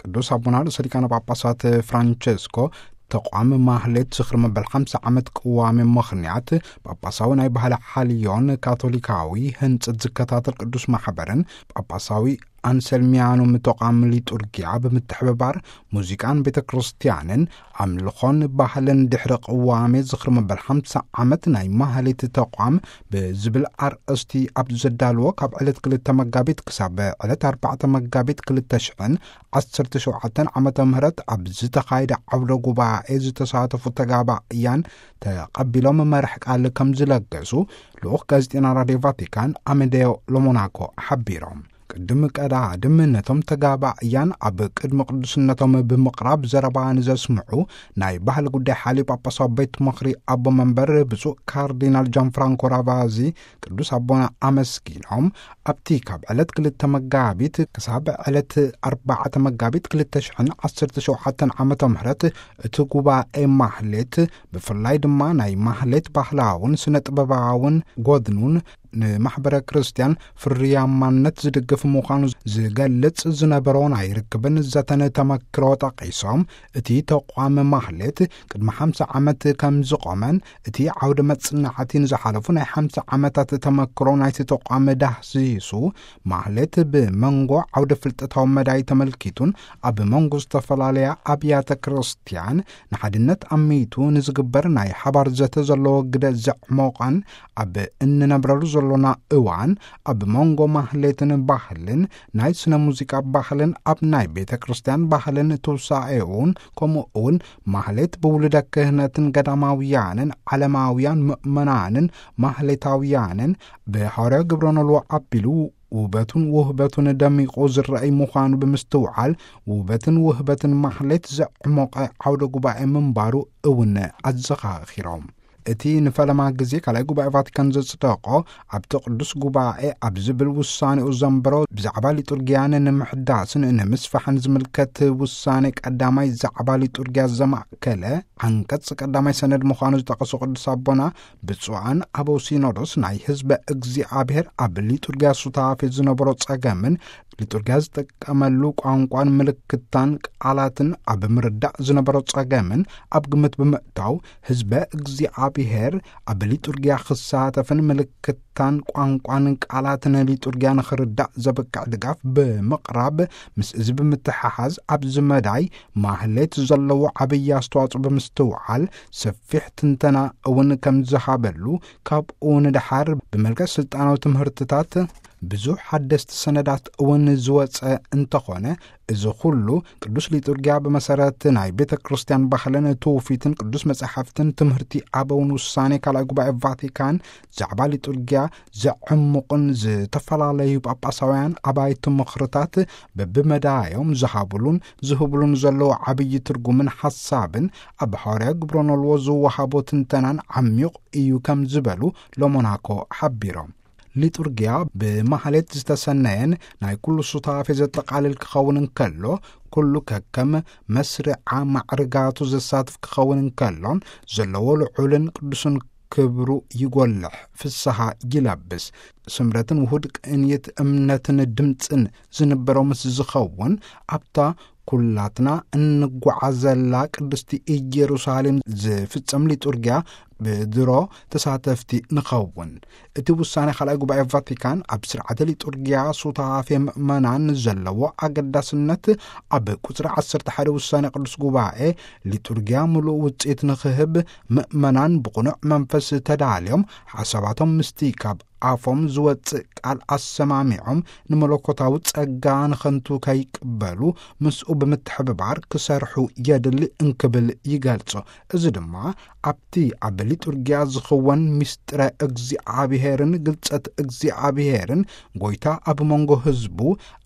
ቅዱስ ኣቦና ርእሰ ሊቃነ ጳጳሳት ፍራንቸስኮ ተቋም ማህሌት ዝኽሪ መበል ሓምሳ ዓመት ቅዋሜ ምኽንያት ጳጳሳዊ ናይ ባህሊ ሓልዮን ካቶሊካዊ ህንጸት ዝከታተል ቅዱስ ማሕበርን ጳጳሳዊ ኣንሰልሚያኑም ተቋም ሊጡርጊያ ብምትሕብባር ሙዚቃን ቤተ ክርስቲያንን ኣምልኾን ባህልን ድሕሪ ቅዋሜ ዝኽሪ መበል ሓምሳ ዓመት ናይ ማህሌት ተቋም ብዝብል ኣርእስቲ ኣብ ዘዳልዎ ካብ ዕለት ክልተ መጋቢት ክሳብ ዕለት ኣርባዕተ መጋቢት ክልተ ሽሕን ዓሰርተ ሸውዓተን ዓመተ ምህረት ኣብ ዝተኻየደ ዓውደ ጉባኤ ዝተሳተፉ ተጋባእያን ተቐቢሎም መራሕ ቃል ከም ዝለገሱ ልኡኽ ጋዜጠና ራድዮ ቫቲካን ኣሜዴዮ ሎሞናኮ ሓቢሮም። ቅድሚ ቀዳድም ነቶም ተጋባእያን ኣብ ቅድሚ ቅዱስነቶም ብምቕራብ ዘረባ ንዘስምዑ ናይ ባህሊ ጉዳይ ሓልዮ ጳጳሳዊ ቤት ምኽሪ ኣቦ መንበር ብፁዕ ካርዲናል ጃን ፍራንኮ ራቫዚ ቅዱስ ኣቦና ኣመስጊኖም፣ ኣብቲ ካብ ዕለት ክልተ መጋቢት ክሳብ ዕለት ኣርባዕተ መጋቢት ክልተ ሽሕን ዓሰርተ ሸውዓተን ዓመተ ምህረት እቲ ጉባኤ ማህሌት ብፍላይ ድማ ናይ ማህሌት ባህላውን ስነ ጥበባውን ጎድኑን ንማሕበረ ክርስቲያን ፍርያማነት ዝድግፍ ምዃኑ ዝገልጽ ዝነበሮ ናይ ርክብን ዘተን ተመክሮ ጠቒሶም፣ እቲ ተቋም ማህሌት ቅድሚ ሓምሳ ዓመት ከም ዝቖመን እቲ ዓውደ መጽናዕቲ ንዝሓለፉ ናይ ሓምሳ ዓመታት ተመክሮ ናይቲ ተቋም ዳህሲሱ፣ ማህሌት ብመንጎ ዓውደ ፍልጠታዊ መዳይ ተመልኪቱን ኣብ መንጎ ዝተፈላለያ ኣብያተ ክርስቲያን ንሓድነት ኣሚቱ ንዝግበር ናይ ሓባር ዘተ ዘለዎ ግደ ዘዕሞቐን ኣብ እንነብረሉ ዘሎና እዋን ኣብ መንጎ ማህሌትን ባህልን ናይ ስነ ሙዚቃ ባህልን ኣብ ናይ ቤተ ክርስቲያን ባህልን ትውሳኤውን ከምኡ እውን ማህሌት ብውሉደ ክህነትን ገዳማውያንን ዓለማውያን ምእመናንን ማህሌታውያንን ብሐዋርያዊ ግብረ ኖልዎ ኣቢሉ ውበቱን ውህበቱን ደሚቑ ዝረአይ ምዃኑ ብምስትውዓል ውበትን ውህበትን ማህሌት ዘዕሞቐ ዓውደ ጉባኤ ምንባሩ እውን ኣዘኻኺሮም። እቲ ንፈለማ ግዜ ካልኣይ ጉባኤ ቫቲካን ዘጽደቖ ኣብቲ ቅዱስ ጉባኤ ኣብ ዝብል ውሳኔኡ ዘንበሮ ብዛዕባ ሊጡርጊያን ንምሕዳስን ንምስፋሕን ዝምልከት ውሳኔ ቀዳማይ ዛዕባ ሊጡርጊያ ዘማእከለ ዓንቀጽ ቀዳማይ ሰነድ ምዃኑ ዝጠቐሱ ቅዱስ ኣቦና ብፁዓን ኣበው ሲኖዶስ ናይ ህዝበ እግዚኣብሔር ኣብ ሊጡርጊያ ሱታፌ ዝነበሮ ጸገምን ሊጡርጊያ ዝጥቀመሉ ቋንቋን ምልክታን ቃላትን ኣብ ምርዳእ ዝነበሮ ጸገምን ኣብ ግምት ብምእታው ህዝበ እግዚኣብሔር ኣብ ሊጡርጊያ ክሳተፍን ምልክታን ቋንቋን ቃላትን ሊጡርጊያ ንኽርዳእ ዘብቅዕ ድጋፍ ብምቕራብ ምስ እዚ ብምትሓሓዝ ኣብዚ መዳይ ማህሌት ዘለዎ ዓብዪ ኣስተዋጽኦ ብምስትውዓል ሰፊሕ ትንተና እውን ከም ዝሃበሉ ካብኡ ንደሓር ብመልክዕ ስልጣናዊ ትምህርትታት ብዙሕ ሓደስቲ ሰነዳት እውን ዝወጸ እንተኾነ፣ እዚ ኩሉ ቅዱስ ሊጡርጊያ ብመሰረት ናይ ቤተ ክርስቲያን ባህልን ትውፊትን ቅዱስ መጻሕፍትን ትምህርቲ ኣበውን ውሳኔ ካልኣይ ጉባኤ ቫቲካን ዛዕባ ሊጡርጊያ ዘዕምቑን ዝተፈላለዩ ጳጳሳውያን ኣባይቲ ምኽርታት በብመዳዮም ዝሃብሉን ዝህብሉን ዘለዉ ዓብዪ ትርጉምን ሓሳብን ኣብ ሐዋርያዊ ግብረ ኖልዎ ዝወሃቦ ትንተናን ዓሚቕ እዩ ከም ዝበሉ ሎሞናኮ ሓቢሮም። ሊጡርጊያ ብማህሌት ዝተሰነየን ናይ ኩሉ ሱታፌ ዘጠቓልል ክኸውን እንከሎ፣ ኩሉ ከከም መስርዓ ማዕርጋቱ ዘሳትፍ ክኸውን እንከሎን ዘለዎ ልዑልን ቅዱስን ክብሩ ይጎልሕ፣ ፍስሃ ይለብስ። ስምረትን ውሁድ ቅንየት እምነትን ድምፅን ዝንበሮ ምስ ዝኸውን፣ ኣብታ ኩላትና እንጓዓዘላ ቅድስቲ ኢየሩሳሌም ዝፍጸም ሊጡርጊያ ብድሮ ተሳተፍቲ ንኸውን። እቲ ውሳኔ ካልኣይ ጉባኤ ቫቲካን ኣብ ስርዓተ ሊጡርጊያ ሱታፌ ምእመናን ዘለዎ ኣገዳስነት ኣብ ቁጽሪ ዓሰርተ ሓደ ውሳኔ ቅዱስ ጉባኤ ሊጡርጊያ ምሉእ ውጽኢት ንኽህብ ምእመናን ብቕኑዕ መንፈስ ተዳልዮም ሓሳባቶም ምስቲ ካብ ኣፎም ዝወጽእ ቃል ኣሰማሚዖም ንመለኮታዊ ጸጋ ንኸንቱ ከይቅበሉ ምስኡ ብምትሕብባር ክሰርሑ የድሊ እንክብል ይገልጾ። እዚ ድማ ኣብቲ ኣብ ሊጡርጊያ ዝኽወን ምስጢረ እግዚኣብሔርን ግልጸት እግዚኣብሔርን ጎይታ ኣብ መንጎ ህዝቡ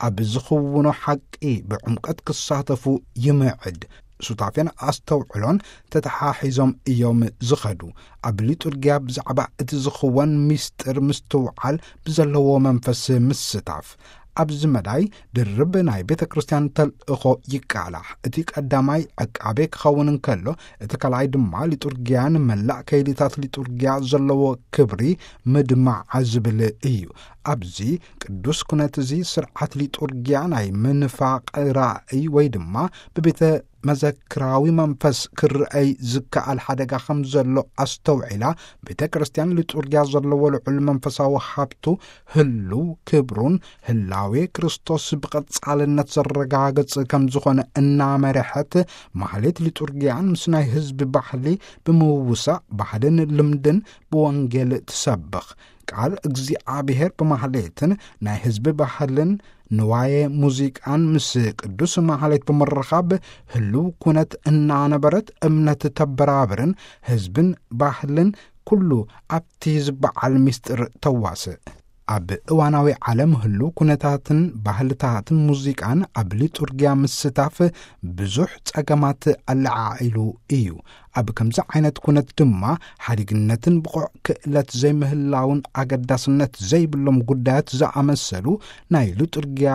ኣብ ዝኽውኖ ሓቂ ብዕምቀት ክሳተፉ ይምዕድ። ሱታፌን ኣስተውዕሎን ተተሓሒዞም እዮም ዝኸዱ። ኣብ ሊጡርጊያ ብዛዕባ እቲ ዝኽወን ምስጢር ምስትውዓል ብዘለዎ መንፈስ ምስታፍ። ኣብዚ መዳይ ድርብ ናይ ቤተ ክርስቲያን ተልእኾ ይቃላሕ። እቲ ቀዳማይ ዕቃቤ ክኸውን እንከሎ፣ እቲ ካልኣይ ድማ ሊጡርጊያ ንመላእ ከይድታት ሊጡርጊያ ዘለዎ ክብሪ ምድማዕ ዝብል እዩ። ኣብዚ ቅዱስ ኩነት እዚ ስርዓት ሊጡርጊያ ናይ ምንፋቕ ራእይ ወይ ድማ ብቤተ መዘክራዊ መንፈስ ክረኣይ ዝከኣል ሓደጋ ከም ዘሎ ኣስተውዒላ፣ ቤተ ክርስቲያን ሊጡርጊያ ዘለዎ ልዑል መንፈሳዊ ሃብቱ ህልው ክብሩን ህላዌ ክርስቶስ ብቐጻልነት ዘረጋግጽ ከም ዝኾነ እናመርሐት፣ ማህሌት ሊጡርጊያን ምስ ናይ ህዝቢ ባህሊ ብምውሳእ ባህልን ልምድን ብወንጌል ትሰብኽ። ቃል እግዚኣብሔር ብማህሌትን ናይ ህዝቢ ባህልን ንዋየ ሙዚቃን ምስ ቅዱስ ማህሌት ብምርኻብ ህልው ኩነት እናነበረት እምነት ተበራብርን ህዝብን ባህልን ኩሉ ኣብቲ ዝበዓል ምስጢር ተዋስእ። ኣብ እዋናዊ ዓለም ህልው ኩነታትን ባህልታትን ሙዚቃን ኣብ ሊጡርጊያ ምስታፍ ብዙሕ ጸገማት ኣለዓዒሉ እዩ። ኣብ ከምዚ ዓይነት ኩነት ድማ ሓዲግነትን ብቑዕ ክእለት ዘይምህላውን ኣገዳስነት ዘይብሎም ጉዳያት ዝኣመሰሉ ናይ ሊጡርጊያ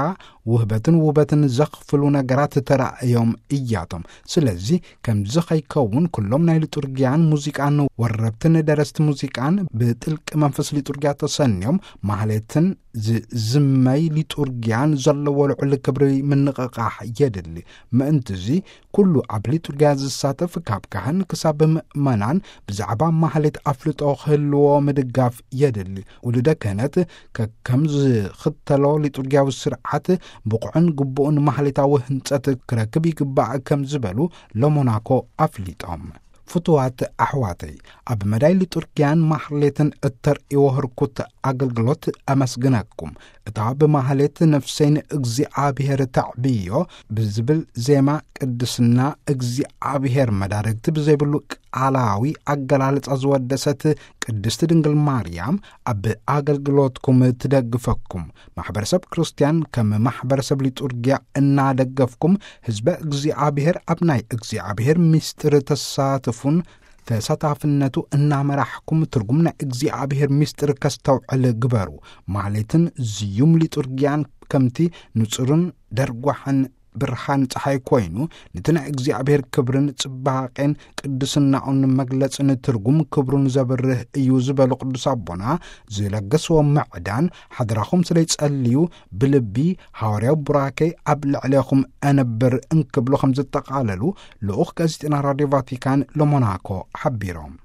ውህበትን ውበትን ዘኽፍሉ ነገራት ተራእዮም እያቶም። ስለዚ ከምዚ ኸይከውን ኩሎም ናይ ሊጡርጊያን ሙዚቃን ወረብትን ደረስቲ ሙዚቃን ብጥልቂ መንፈስ ሊጡርጊያ ተሰንዮም ማህሌትን ዝዝመይ ሊጡርጊያን ዘለዎ ልዑል ክብሪ ምንቕቓሕ የድሊ። ምእንትዚ ኩሉ ኣብ ሊጡርጊያ ዝሳተፍ ካብ ካህን ክሳብ ምእመናን ብዛዕባ ማህሌት ኣፍልጦ ክህልዎ ምድጋፍ የድሊ። ውሉደ ክህነት ከከም ዝኽተሎ ሊጡርጊያዊ ስርዓት ብቑዕን ግቡእን ማህሌታዊ ህንጸት ክረክብ ይግባእ ከም ዝበሉ ለሞናኮ ኣፍሊጦም። ፍቱዋት ኣሕዋተይ፣ ኣብ መዳይ ሊጡርጊያን ማህሌትን እተርእይዎ ህርኩት ኣገልግሎት ኣመስግነኩም። እታ ብማህሌት ነፍሰይ ንእግዚኣብሔር ተዕብዮ ብዝብል ዜማ ቅድስና እግዚኣብሔር መዳርግቲ ብዘይብሉ ቃላዊ ኣገላልጻ ዝወደሰት ቅድስቲ ድንግል ማርያም ኣብ ኣገልግሎትኩም ትደግፈኩም። ማሕበረሰብ ክርስትያን ከም ማሕበረሰብ ሊጡርጊያ እናደገፍኩም ህዝበ እግዚኣብሔር ኣብ ናይ እግዚኣብሔር ምስጢር ተሳትፉን ተሳታፍነቱ እናመራሕኩም ትርጉም ናይ እግዚኣብሔር ምስጢር ከስተውዕል ግበሩ። ማህሌትን ዝዩም ሊጡርጊያን ከምቲ ንጹርን ደርጓሕን ብርሃን ጸሓይ ኮይኑ፣ ነቲ ናይ እግዚኣብሔር ክብርን ጽባቄን ቅድስናኡን መግለጽን ትርጉም ክብሩን ዘብርህ እዩ ዝበሉ ቅዱስ ኣቦና፣ ዝለገስዎ ምዕዳን ሓድራኹም ስለ ይጸልዩ ብልቢ ሃዋርያዊ ቡራኬ ኣብ ልዕሌኹም ኣነብር እንክብሉ ከም ዘጠቓለሉ ልኡኽ ጋዜጠና ራድዮ ቫቲካን ለሞናኮ ሓቢሮም።